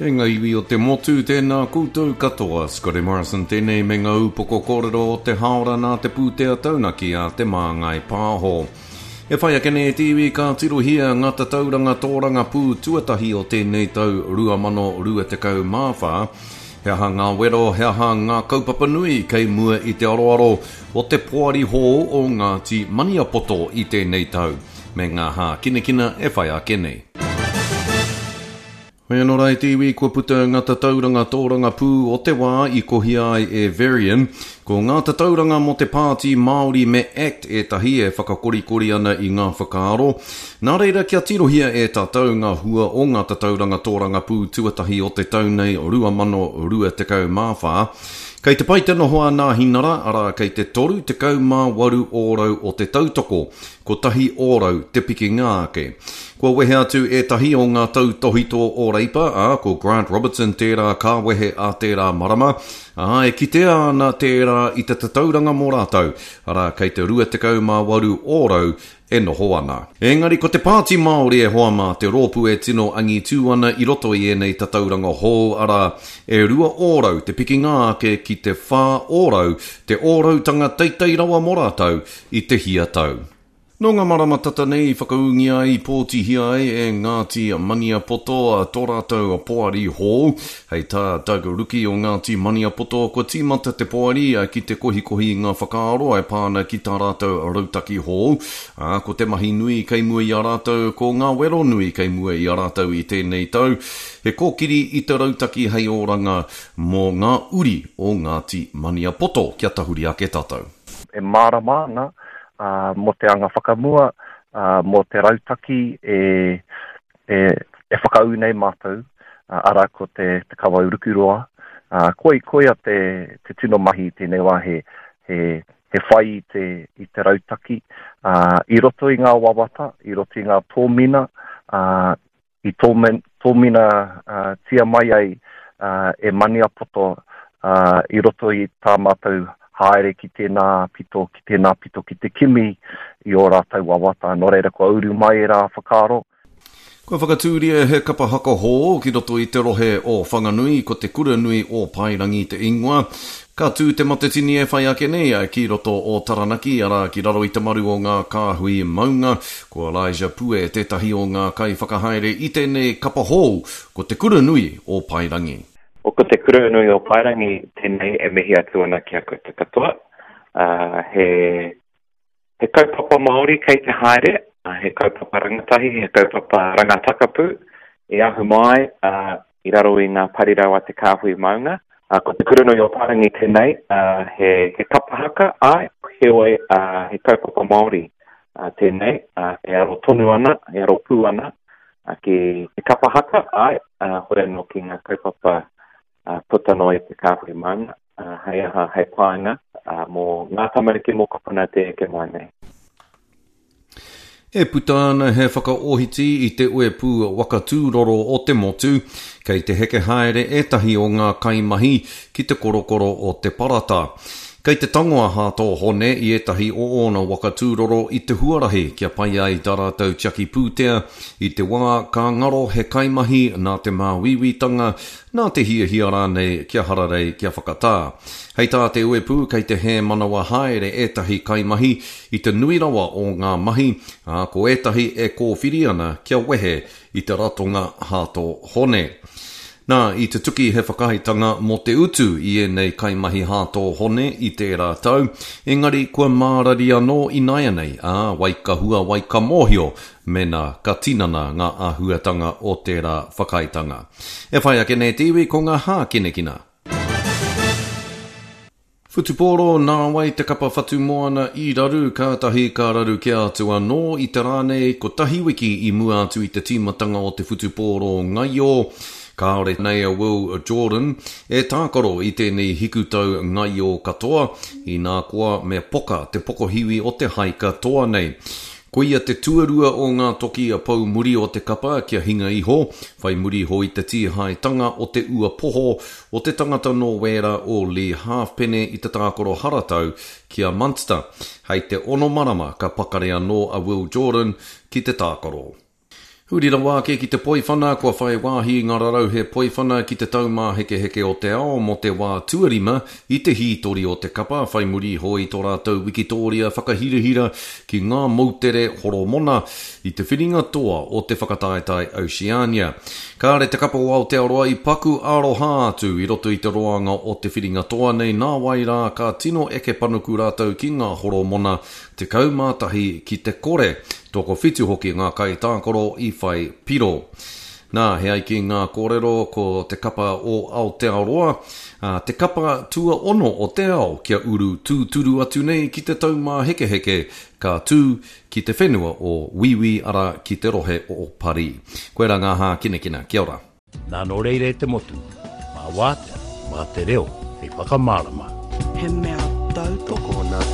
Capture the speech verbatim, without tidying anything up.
E ngā iwi o te motu, tēnā koutou katoa. Scotty Morrison tēnei me ngā upoko kōrero o te haora nā te pūtea taunaki a Te Māngai Pāho. E whai ake nei te iwi ka tirohia ngā tatauranga tōrangapū tuatahi o tēnei tau rua mano rua tekau mā whā. He aha ngā wero, he aha ngā kaupapa nui kei mua i te aroaro o te poari hou o Ngāti Maniapoto i tēnei tau, me ngā hākinakina e whai ake nei. Hoi anō rā e te iwi, kua puta ngā tatauranga tōrangapū o te wā i kohia ai e Verian. Ko ngā tatauranga mō te Pāti Māori me ACT ētahi e whakakorikori ana i ngā whakaaro. Nā reira kia tirohia e tātou ngā hua o ngā tatauranga tōrangapū tuatahi o te tau nei rua mano rua tekau mā whā. Kei te pai te noho a Nāhinara, arā kei te toru tekau mā waru ōrau o te tautoko, kotahi ōrau te pikinga ake. Kua wehe atu ētahi o ngā tautohito o Reipa, ā, ko Grant Robertson tērā ka wehe a tērā marama, ā, e kitea ana tērā i te tatauranga mō rātou, arā kei te rua tekau mā waru ōrau e noho ana. Engari ko te Pāti Māori e hoa mā te rōpū e tino angitū ana i roto i ēnei tatauranga hou, arā, e rua ōrau te pikinga ake ki te whā ōrau, te ōrautanga teitei rawa mō rātou i te hia tau. Nō ngā marama tata nei i whakaūngia ai, i pōtihia ai e Ngāti Maniapoto tō rātou poari hou. Hei tā Doug Ruki o Ngāti Maniapoto, kua tīmata te poari ki te kohikohi i ngā whakaaro e pā ana ki tā rātou rautaki hou. Ā, ko te mahi nui kei mua i a rātou, ko ngā wero nui kei mua i a rātou i tēnei tau, he kōkiri i te rautaki hei oranga mō ngā uri o Ngāti Maniapoto. Kia tahuri ake tātou. E mārama ana mō te anga whakamua, mō te rautaki e, e, e whakaū nei mātou, arā ko te, te kawau rukuroa. Koi, koia te, te tino mahi i tēnei wā he, he, he whai i te, i te rautaki, i roto i ngā wawata, i roto i ngā tōmina, i tōmen, tōmina tia mai ai e Maniapoto i roto i tā mātou haere ki tēnā pito, ki tēnā pito, ki te kimi i ō rātou wawata. Nō reira, kua uru mai e rā whakaaro. Kua whakatūria he kapa haka hou ki roto i te rohe o Whanganui, ko te Kura Nui o Paerangi te ingoa. Ka tū te Matatini e whai ake nei ki roto o Taranaki, arā ki raro i te maru o ngā kāhui maunga. Ko Elijah Pue tētahi o ngā kaiwhakahaere i tēnei kapa hou, ko te Kura Nui o Paerangi. O ko te Kura Nui o Paerangi tēnei e mihi atu ana ki a koutou katoa. Uh, he, he kaupapa Māori kei te haere, uh, he kaupapa rangatahi, he kaupapa rangatakapu e ahu mai uh, i raro i ngā parirau a te kāhui maunga. Uh, ko te Kura Nui o Paerangi tēnei, uh, he, he kapa haka, ai, heoi, uh, he kaupapa Māori uh, tēnei, uh, e aro tonu ana, e aro pū ana uh, ki te kapa haka, ai, uh, hoi anō ki ngā kaupapa uh, puta noa i te kāhui maunga, uh, hei aha, hei painga, uh, mō ngā tamariki mokopuna te eke mai nei. E puta ana he whakaohiti i te uepū waka tūroro o te motu, kei te heke haere ētahi o ngā kaimahi ki te korokoro o te parata. Kei te tango a Hāto Hone i ētahi o ōna waka tūroro i te huarahi kia pai ai tā rātou tiaki pūtea i te wā ka ngaro he kaimahi nā te māuiuitanga, nā te hiahia rānei kia hararei kia whakatā. Hei tā te uepū kei te hēmanawa haere ētahi kaimahi i te nui rawa o ngā mahi, ā, ko ētahi e kōwhiri ana kia wehe i te ratonga Hāto Hone. Nā, i tutuki he whakaaetanga mō te utu i ēnei kaimahi Hāto Hone i tērā tau, engari kua mārari anō ināianei, ā, wai ka hua, wai ka mōhio, mēnā ka tinana ngā āhuatanga o tērā whakaaetanga. E whai ake nei te iwi ko ngā hākinakina. Whutupōro, nā wai te kapa Whatumoana i raru, kātahi ka raru kia atu anō i te rā nei kotahi wiki i mua atu i te tīmatanga o te whutupōro ngaio. Kāore nei a Will Jordan e tākaro i tēnei hikutau ngaio katoa, inā koa me poka te pokohiwi o te haika toa nei. Koia te tuarua o ngā toki a pau muri o te kapa kia hinga iho, whai muri iho i te tīhaetanga o te ua poho o te tangata nō Wēra o Lee Halfpenny i te tākaro haratau ki a Munster. Hei te ono marama ka pakari anō a Will Jordan ki te tākaro. Huri rawa ake ki te poiwhana, kua whai wāhi ngā rarauhe poiwhana ki te taumāhekeheke o te ao mō te wā tuarima i te hītori o te kapa, whai muri iho i tō rātou wikitōria whakahirahira ki ngā moutere Horomona i te whiringa toa o te whakataetae Oceania. Kāre te kapa o Aotearoa i paku aroha atu i roto i te roanga o te whiringa toa nei, nā wai rā ka tino eke panuku rātou ki ngā Horomona tekau mā tahi ki te kore. Tokowhitu hoki ngā kaitākaro i whai piro. Nā, he ai ki ngā kōrero ko te kapa o Aotearoa, ā, te kapa tuaono o te ao kia uru tūturu atu nei ki te taumāhekeheke ka tū ki te whenua o Wīwī, arā, ki te rohe o Parī. Koirā ngā hākinakina. Kia ora. Nā, nō reira e te motu, mā wātea, mā te reo hei whakamārama. He mea tautoko. Tokona